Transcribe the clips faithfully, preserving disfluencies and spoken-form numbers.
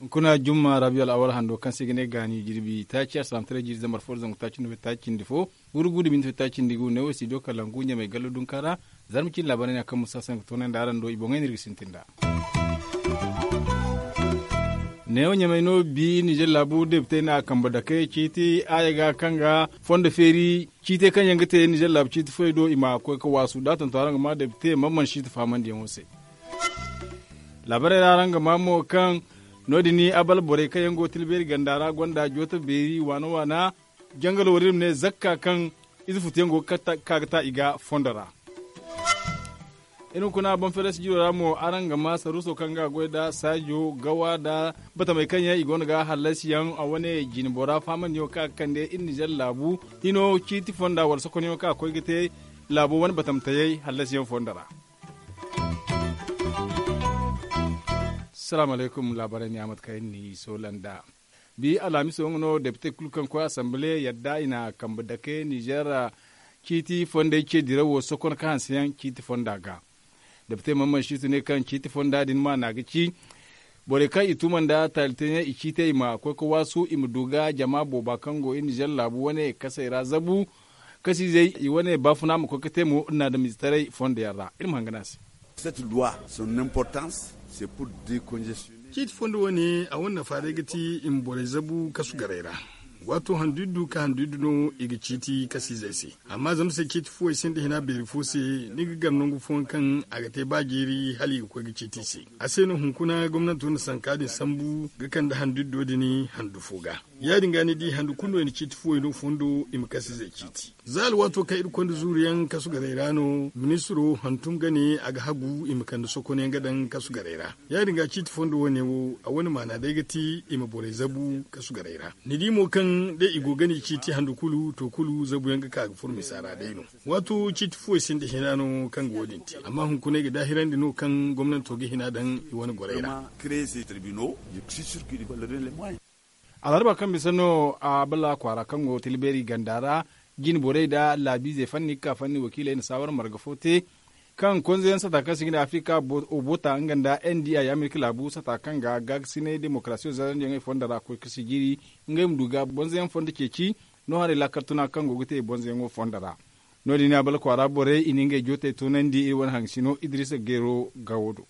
Hunkuna jumma rabiyo al'awal hando kaŋ se i ga ne gaani jirbi taaci a salaamataray jiiri zambar fo da zangu taaci nda fettaaci cindi fo, gurugu da minti fettaaci cindi gu neewo studio kalangu ɲamay gallo dunka ra. Zarma cine laabaarey no ya kaŋ musa se nga toonandi araŋ do i boŋey no iri ga sintin nd'a. Neewo ɲamay no bi nizer laabu depite na a kambe dake ciiti aaya ga kaŋ ga fondo feeri ciitey kaŋ yaŋ ga te nizer laabu ciiti foyey do i ma koy ga waasu da a tonton araŋ ga ma depite man mana siiti faamandiyaŋo se. Laabaarey ra araŋ ga ma mo kaŋ no- din abal borey kaŋ yaŋ go tilbeeri ganda ra gonda jooto beeri waana waana jangalo wo- din ma ne zakka kaŋ ize futuyaŋ go ga ka ga ta i ga fondo ra. Iri hunkuna banferes jiro ra mo araŋ ga ma saruuso kaŋ ga goy nda saajo gawa nda batamey kaŋ yaŋ i go no ga hallasiyaŋ a wane jinbora faamandiyaŋo kaŋ a ga kande iri nizer laabu hino ciiti fonda wala sokonyaŋo kaŋ a koy ga te laabo wane batamtayey hallasiyaŋ fondo ra. Salaamu alaykum laabaarey ne a mate kaŋ iri n'i soola nd'a. Bi alhamiso nga no depite kulu kaŋ koy asambile yadda i na kambe dake nizer ciiti fondey ce dirawo sokon ka hanseyaŋ ciiti fonda ga. Depite mamman situ ne kaŋ ciiti fonda din maana ga ci borey kaŋ i tuma nda taali teeyaŋ i ciitey i ma koy ga waasu i ma du ga jama booba kaŋ go i nizer laabu wane kasey ra zabu kasiizey i wane baafuna ma koy ga te mo iri na adamiizetaray fondo yaŋ ra iri ma hangan a se. Cette loi son importance c'est pour décongestionner. Ciiti fondo wane a wane nafa day ga ti i ma borey zabu kasu garey ra. Waato handu iddu ka handu iddu no i ga ciiti kasiizey se. Amma zama se ciiti fuwey sinda hina beeri fo se ni ga gar nangu fooyaŋ kaŋ a ga te ba jeeri hala i ga koy ga ciiti i se. A se no hunkuna gomnanto na sanka din sambu ga kande handu iddo din handu fo ga. Ya- din ga ni di handu kulu no i na ciiti fuwey no fondo i ma kasiizey ciiti. Za alwaato kaŋ iri konda zuuru yaŋ kasu garey ra no ministiro hantum ga ne a ga hagu i ma kande sokonyaŋ ga daŋ kasu garey ra. Ya- din ga ciiti fondo wane wo a wane maana day ga ti i ma borey zabu kasu garey ra. Ni di mo kaŋ day i go ga ni ciiti handu kulu to kulu zabuyaŋ ga ka ga furo misa ra day no. Waato ciiti fuwey sinda hina no kaŋ ga wo- din te amma hunkuna ay ga daahirandi no kaŋ gomnanto ga hina daŋ i wane gorey ra. Alharba kaŋ bisa no a bala kwaara kaŋ go tilbeeri ganda ra jine borey nda laabiizey fanni ga ka fanni wakiiley na saawar marga fo te kaŋ konzeyaŋ sata kaŋ se i ga ne afirika obota nga nda n d i amerika laabu sata kaŋ ga gaagasinay demokarasiyo zarandiyaŋey fondo ra koy ga sijiri ngey ma du ga bonzoyaŋ fondo ceeci no haray laakal tuna kaŋ go ga te bonzoyaŋo fondo ra. No- din a bala kwaara borey i na ngey jootey toonandi iri wane hangasino idirisa geero gawo do.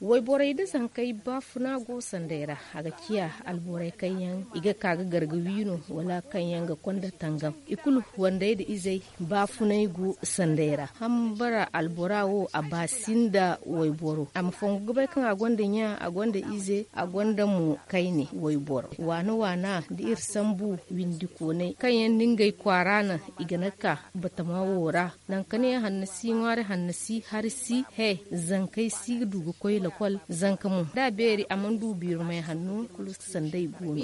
Wayborey nda zankey baafuna go sanday ra. A ga ciya alborey kaŋ yaŋ i ga ka ga gar ga wi no wala kaŋ yaŋ ga konda tangam i kulu wandey nda izey baafunay go sanday ra hambara albora wo a ba sinda wayboro a ma fongu ga bay kaŋ a gonda ɲa a gonda ize a gonda mo kayne wayboro waana waana da iri sambu windi koonay kaŋ yaŋ da ngey kwaara naŋ i ga na ka batama wo ra. Nangu ka ne hanna si ŋwaari hanna si hari si he zankey si ga du ga koy lakol zanka mo da a beeri a mana du biirumay hanno kulu sanday go no.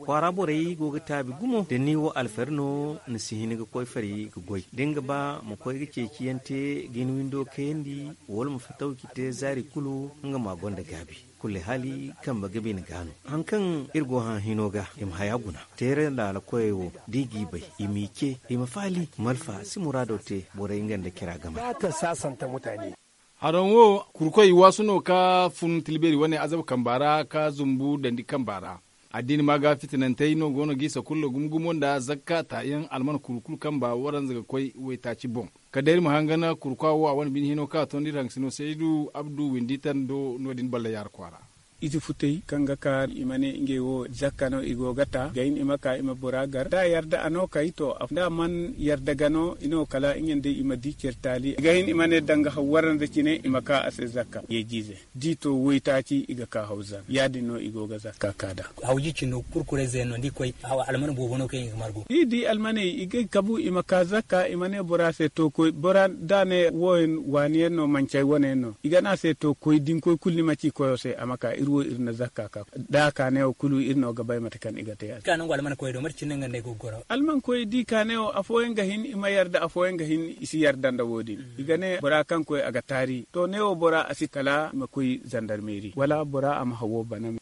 Kwaara borey go ga taabi gumo da ni wo alfari no ni si hin ga koy fari ga goy da ni ga ba ma koy ga ceeciyaŋ te ga ni windo kayandi wala ma fatawci te zaari kulu nga ma gonda gaabi. Kulle hali kambe ga bine ga no haŋ kaŋ iri go hã hino ga i ma haya guna teere laala koyey wo da i g'i bay i m'i ce i ma faali malfa si muraado te borey nga nda cira game ra. Haraŋ wo kurkoy waasu no ka fun tilbeeri wane azaba kamba ra ka zumbu dandi kamba ra. Addiini ma ga fitinantey no go no g'i sakulla gumo gumo nda zakka taayaŋ alman kuru kulu kamba waranza ga koy waytaaci boŋ. Kala day iri ma hangan kurkwa wo a wane bine hino kaŋ a tondi iri haŋgasino saydu abdu windi tando no- din balla yaara kwaara. Ize futey kaŋ ga ka i ma ne ngey wo zakka no i go ga ta ga hin i ma ka i ma bora gar da a yarda a no kay to da a mana yarda ga no i no kala nga nda i ma di care taali ga hin i ma ne danga haw waranza cine i ma ka a se zakka yeejiize. Da i to waytaaci i ga ka haw zan ya- din no i go ga zakka ka da. Hawji cino kurkurey zeenno da i koy alman boobo no kaŋ i ga margu. Da i di almaney i ga kabu i ma ka zakka i ma ne bora se to koy bora da a ne wo- waani yaŋ no manci ay wane yaŋ no i ga ne a se to koy da ni koy kulu ni ma ci koyo se a ma ka iri wo iri na zakka ka da a ka neewo kulu iri no ga bay mate kaŋ i ga te a se. Almankoy da i ka neewo afooyaŋ ga hin i ma yarda afooyaŋ ga hin i si yarda nda wo- din i ga ne bora kaŋ koy a ga taari to neewo bora a si kala i ma koy zandarmeeri wala bora a ma hawo bana.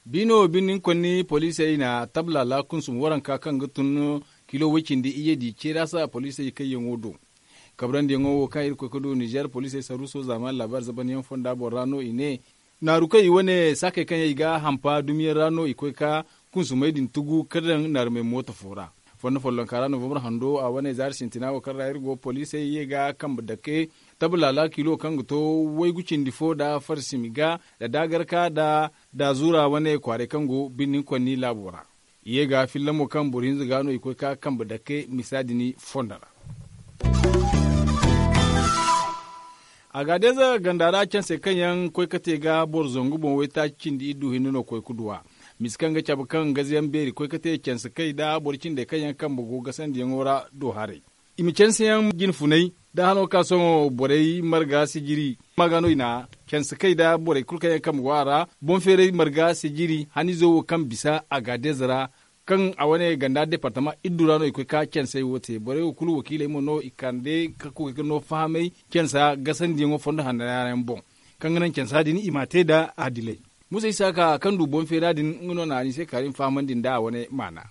Biino bine ni konni poliisey na tablaala kunsum waranka kaŋ ga tun kilo woy cindi iyye di ceera sa poliisey kayyaŋo do. Kabrandiyaŋo wo kaŋ iri koy ga du ninzeer poliisey saruuso zaamaani laabaari zabanyaŋ fonda boŋ ra no i ne, naaru kaŋ i wane saakey kaŋ yaŋ i ga a hampa dumiyaŋ ra no i koy ga kunsumey din tugu ga daŋ naarumey mooto fo ra. Fondo follonka ra novambar hando a wane zaari sintina wo kaŋ ra iri go poliisey ye ga kambe dake tablaala kilo kaŋ ga to waygu cindi fo nda farsimi ga nda daagarka nda daazuura wane kwaaray kaŋ go birni konni laabo ra. I ye ga filla mo kaŋ boro hinza ga no i koy ga kambe dake misa din fondo ra. Agadeeza ganda ra canse kaŋ yaŋ koy ga te ga boro zangu boŋ waytaaci cindi iddu hinne no koy ga duw'a. Misa kaŋ ga cabe kaŋ gazayaŋ beeri koy ga te canse kay nda boro cindey kaŋ yaŋ kambe go gasandiyaŋo ra do haray. I ma canseyaŋ jine funay da hano ga ka sohõ borey marga sijiri ma ga no i na canse kay nda borey kulu kaŋ yaŋ kambe go a ra. Boŋ feeray marga sijiri haniizo wo kaŋ bisa agadeeza ra kaŋ a wane ganda departama iddu ra no i koy ga cansey wo te borey wo kulu wakiiley mo no i kande ga koy ga no fahamay cansa gasandiyaŋo fondo hanna yaŋ boŋ. Kaŋ ga naŋ cansa din i m'a te nda adilay. Musa isaaka kaŋ du boŋ feera din nga no na a ni se kaari ma fahamandi nda a wane maana.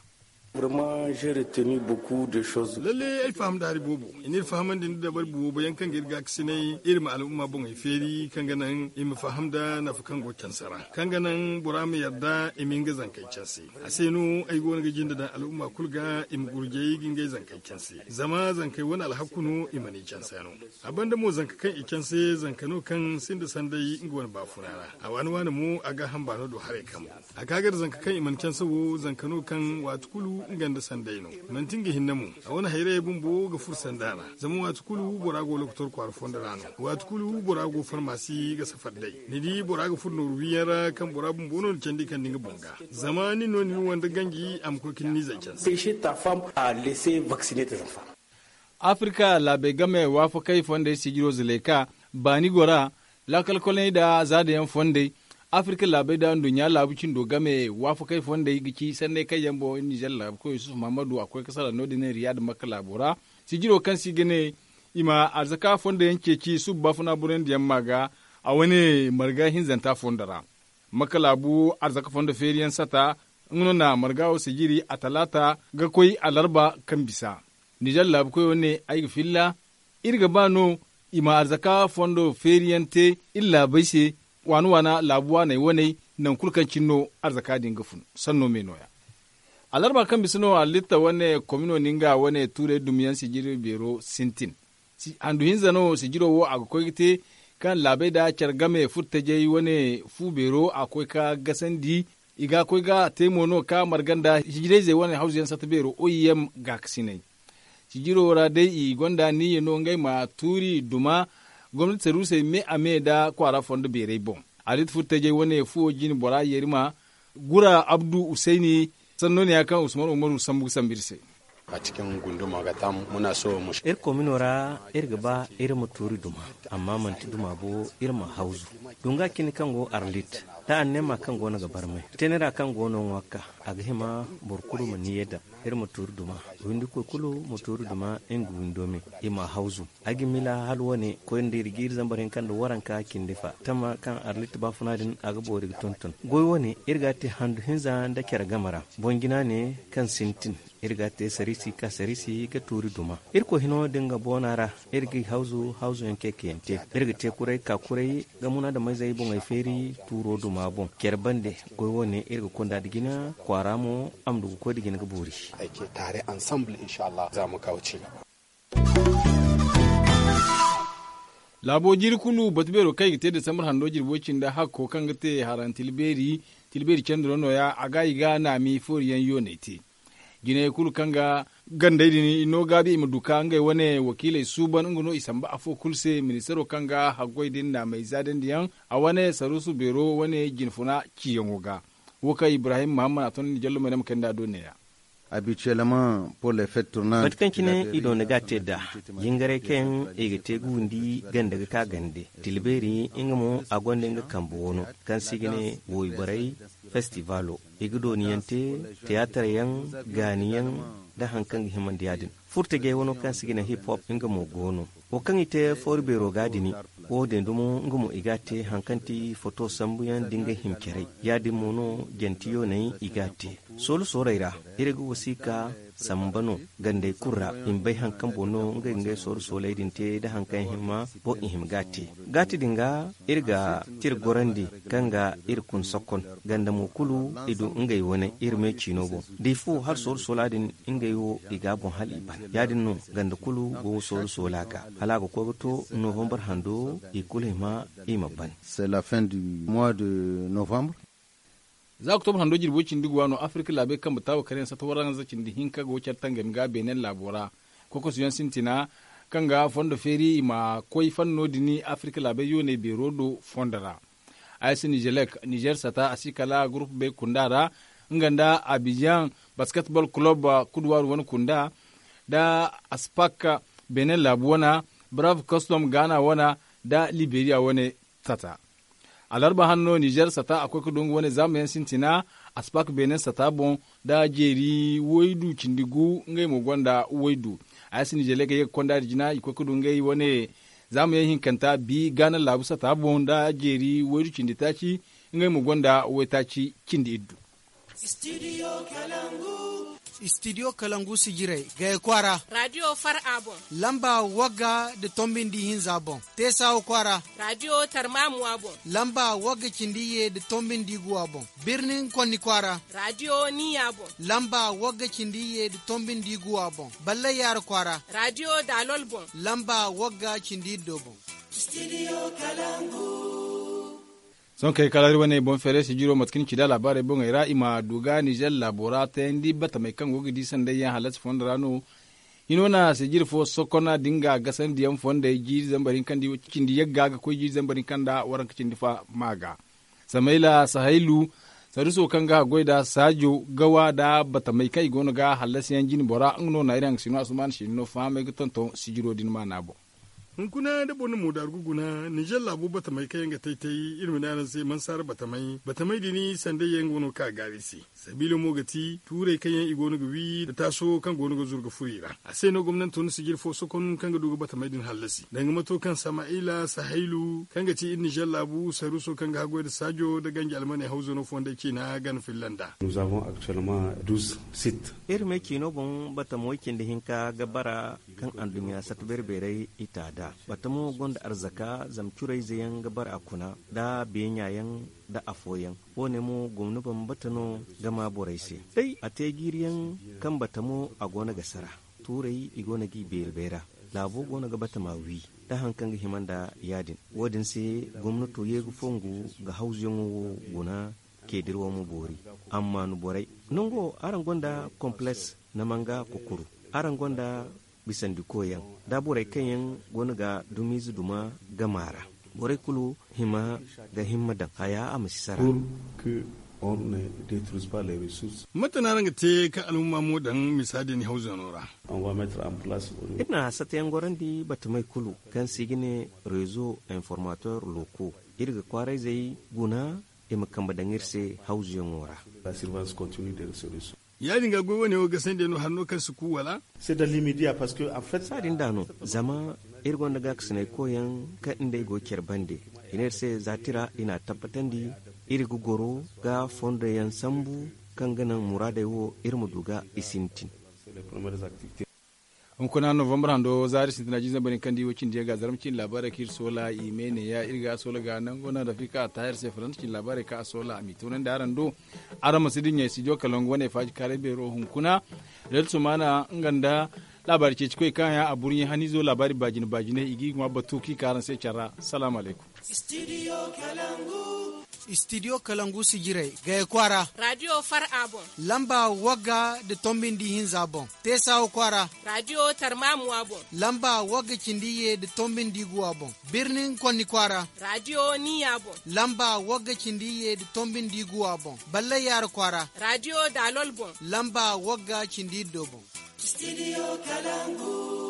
Lalle ay faham nda hari boobo. I n'iri fahamandi nda dabari boobo yaŋ kaŋ ga iri gaakasinay iri ma al'umma boŋey feeri kaŋ ga naŋ i ma faham nda nafa kaŋ go canse ra kaŋ ga naŋ bora ma yarda i ma nga zankey canse. A se no ay go no ga jinde daŋ al'umma kulu ga i ma gurjay ga ngey zankey canse. Zama zankey wane alhaku no i mana i canse no. A banda mo zanka kaŋ i canse zanka no kaŋ sinda sanday nga wane baafuna ra. A waani waani mo a ga hamba no do haray kambu. A ga gar zanka kaŋ i mana canse wo zanka no kaŋ waati kulu nga nda sanday no. Manti nga hinne mo. A wane hayrayey bumbo ga furo sanda ra. Zama waati kulu bora go lokotor kwaara fondo ra no. Waati kulu bora go farmasi ga safar day. Ni di bora ga furo nooru wiyaŋ ra kaŋ bora bumbo no ni candi kande nga boŋ ga. Zama nin no ni na wande ganji a ma koy ga ni n'izey canse. Afirka laabey game waafakey fondey sijiro zuleyka baani gora laakalkoley nda zaadayaŋ fondey. Afirka laabey nda nduɲɲa laabu cindo game waafakey fondey ga ci sanney kaŋ yaŋ boŋ ninzeer laabu koy yusuf mahamadu a koy ga salaŋ no- din riyad makka laabo ra. Sijiro kaŋ se i ga ne i ma arzaka fondo yaŋ ceeci suba baafuna borandiyaŋ ma ga a wane marga hinzanta fondo ra. Makka laabu arzaka fondo feeriyaŋ sata nga no na marga wo sijiri a talaata ga koy alarba kaŋ bisa. Ninzeer laabu koyo ne ay ga filla iri ga ba no i ma arzaka fondo feeriyaŋ te iri laabey se. Waana waana laabu waaney waney nangu kulu kaŋ cine no arzaka din ga fun sanno me nooya. Alarba kaŋ bisa no halitta wane komino ninga wane tuurey dumiyaŋ sijiri beero sintin. Handu hinza no sijiro wo a ga koy ga te kaŋ laabey nda care game furtajey wane fu beero a koy ga gasandi. I ga koy ga te mo no ga marga nda hijirayzey wane hawzuyaŋ sata beero oim gaakasinay. Sijiro ra day i gonda niyya no ngey ma tuuri duma gomnati saruusey me a me nda kwaara fondo beerey boŋ. Alit furtajey wane fuwo jine bora yerima gura abdu usayni. Sanno ne ya kaŋ usman umaru sambu ga sambu iri se. Iri komino ra iri ga ba iri ma tuuri duma amma manti duma bo. Iri ma hawzu dunga cine kaŋ go arlit da annema kaŋ go no ga barmay tenera kaŋ go no ŋwa ga ka a ga hima boro kulu ma niyya daŋ. Iri ma tuuri duma windikoy kulu ma tuuri duma nga windo me i ma hawzu. Ay ga mila hala wane koy nda iri ga iri zambar hinka nda waranka cindi fa tama kaŋ arlit baafuna din a ga boori ga tonton goy wane iri ga a te handu hinza nda care game ra. Boŋ jina ne kaŋ sintin iri ga a te sarisi ka sarisi ga tuuri duma. Irkoy hino da nga boona ra iri ga hawzu hawzuyaŋ kaykayaŋ te. Iri ga te kuray ka kuray ga munaadameyzey boŋey feeri tuuro duma boŋ care bande. Goy wane iri ga konda nda jina kwaara mo a ma du ga koy nda jina ga boori. Laabo jiiri kulu batu beero kaŋ i ga te desambar hando jirbo cindi hakko kaŋ ga te haran tila beeri candi no nooya a ga i ga naami fooriyaŋ yooney te. Jinayey kulu kaŋ ga gandey din i no gaabi i ma du ka ngey wane wakiiley suuban nga no i samba afo kulu se ministaro kaŋ ga haggoy din naamey zaadandiyaŋ a wane saruusu beero wane jinfuna ciyaŋo ga. Wo kaŋ ibrahim mahammad a ton ni jallumey no ma kay nda a do neeya. Mate kaŋ cine i doona ga a te nd'a jingaray kaŋ i ga te ga windi ganda ga ka gande tilbeeri nga mo a gonda nga kambe wano kaŋ se i ga ne woyborey festivalo i ga dooniyaŋ te tiyaataryaŋ gaaniyaŋ nda hari kaŋ ga himandi ya- din. Furtajey wano kaŋ se i ga ne hip hop nga mo go no. Wo kaŋ i te foori beero ga dini, wo din dumo nga mo i ga a te haŋ kaŋ ti foto sambuyaŋ da nga himcaray. Ya-din mo no jantiyo nay i ga a te. Soolu sooley ra, iri ga wasiika samba no gandey kulu ra, i ma bay haŋ kaŋ boŋ no ngey ga ngey sooru sooley din te nda haŋ kaŋ hima boŋ i hima ga a te. Gaati din ga, iri ga tira gorandi kaŋ ga iri kun sokon. Ganda mo kulu, i du ngey wane iri me ciino boŋ. Da i fu hala sooru soola din, ngey wo i ga a boŋ hala i ban. Ya-din no ganda kulu go sooru soola ga, hala a ga koy ga to novembre hando, i kulu hima i ma ban. C'est la fin du mois de novembre. Za oktobra hando jirbo cindi ga waano afirka laabey kambe taawo kare yaŋ sata waranza cindi hinka go care tangami ga beenen laabo ra. Kokosu yaŋ sintina kaŋ ga fondo feeri i ma koy fanno din afirka laabey yooney beero do fondo ra. Ay si nizelek nizer sata a si kala gurupu bay kunda ra, nga nda abijan basketball club kuduwaaru wane kunda, nda aspak beenen laabu wane, brave custom gaana wane, nda liberiya wane sata. Alarba hanno nizer sata a koy ga du nga wane zaamayaŋ sintina, aspak beenen sata boŋ, nda jeeri waydu cindi gu ngey mo gonda waydu. Ay si nizer ga ye ga konda da jina i koy ga du ngey wane zaamayaŋ hinkanta bi gaana laabu sata boŋ nda jeeri waydu cindi taaci, ngey mo gonda waytaaci cindi iddu. Istidiyo kalangu si jiray gaya kwaara. Radiyo far a boŋ. Lamba wagga da tombindi hinza boŋ. Teesawa kwaara. Radiyo tarmamuwa boŋ. Lamba wagga cindi ye da tombindi guwa boŋ. Birnin konni kwaara. Radiyo niya boŋ. Lamba wagga cindi ye da tombindi guwa boŋ. Ballay yaara kwaara. Radiyo daalol boŋ. Lamba wagga cindi iddo boŋ. Sohõ kay kala iri wane boŋ feeray sijiro mate kaŋ ni ci da laabaarey boŋey ra i ma du ga nizer laabo ra tayandi batamey kaŋ go ga di sanday yaŋ halasi fondo ra no. Hino na sijiri fo sokona da nga gasandiyaŋ fondey jiiri zambar hinka nda cindi yagga ga koy jiiri zambar hinka nda waranka cindi fa ma ga. Samayla sahaylu saruso kaŋ ga haggoy da saajo gawa da batamey kaŋ i go no ga hallasi yaŋ jine bora nga no na iri haŋ ga sino asuman sino fahamey ga tonton sijiro din maana boŋ. Hunkuna da boro na moodaaru ga guna nizer laabu batamey kaŋ yaŋ ga tay-tay iri ma ne araŋ se mansaara batamey batamey din sanday yaŋ go no ga ka gaari se. Sabiila mo ga ti tuurey kaŋ yaŋ i go no ga wi nda taaso kaŋ go no ga zuru ga furo i ra. A se no gomnanto na sijir fo sokon kaŋ ga du ga batamey din hallasi danga mato kaŋ sama'ila sahaylu kaŋ ga ti iri nizer laabu saruso kaŋ ga haggoy nda saajo nda ganji almaney hawzano fondey ciina gana filla nd'a. Iri me ciino boŋ batamo way cindi hinka ga bara kaŋ anduɲɲa sata beere-beerey i ta da. Batamo gonda arzaka zama curayze yaŋ ga bara a kuna nda beeɲa yaŋ nda afooyaŋ. Wo- ne mo gomno bambata no ga ma borey se. Day a te jiiri yaŋ kaŋ batamo a go no ga sara. Tuurey i go no g'i beeri bayra. Laabo go no ga batama wi nda haŋ kaŋ ga hima nda ya- din. Wo- din se gomnato ye ga fongu ga hawzuyaŋo wo guna. Keedirwo ma boori. Amma ni borey nango araŋ gonda kompleks na manga kukuru. Araŋ gonda bisandikoyaŋ da borey kaŋ yaŋ go no ga dumiize duma gama ra. Borey kulu hima ga himma daŋ haya a ma si sara. Mate no araŋ ga te ka alhumma mo daŋ misa din hawzano ra? Iri na satayaŋ gorandi batamey kulu kaŋ se i ga ne rezo informator loko. Iri ga kwaarayzey guna i ma kambe daŋ iri se hawzuyaŋo ra. Ya- din ga goy wane wo gasandi no hanno kaŋ si ku wala? Saadin da no zama iri gonda gaakasinay koyaŋ kaŋ nd'ey go care bande. I ne iri se za tira i n'a tabbatandi iri ga goro ga fondoyaŋ sambu kaŋ ga naŋ muraadey wo iri ma du ga i sintin. Hunkuna novembre hando zaari sintina jiizey bari kaŋ di wo cindi yaŋ ga zarma cindi laabaarey kaŋ iri soola i me ne ya iri ga soola ga nango naŋ rafika a taahir se faransa cindi laabaarey kaŋ a soola a m'i toonandi araŋ do. Araŋ ma si dinya studio kalangu wane faaji kaaray beero hunkuna. Red sumana nga nda laabaari ceeci koy kaŋ ya a burɲe haniizo laabaari baajine baajine i g'i ŋwa batu kaŋ i ka araŋ se care ra. Salaamu alaykum. Istidiyo kalangu si jiray gaya kwaara. Radiyo far a boŋ. Lamba wagga nda tombi nda ihinza boŋ. Teesawa kwaara. Radiyo tarmamuwa boŋ. Lamba wagga cindi ye nda tombi nda iguwa boŋ. Birnin konni kwaara. Radiyo niya boŋ. Lamba wagga cindi ye nda tombi nda iguwa boŋ. Ballay yaara kwaara. Radiyo daalol boŋ. Lamba wagga cindi iddo boŋ. Istidiyo kalangu.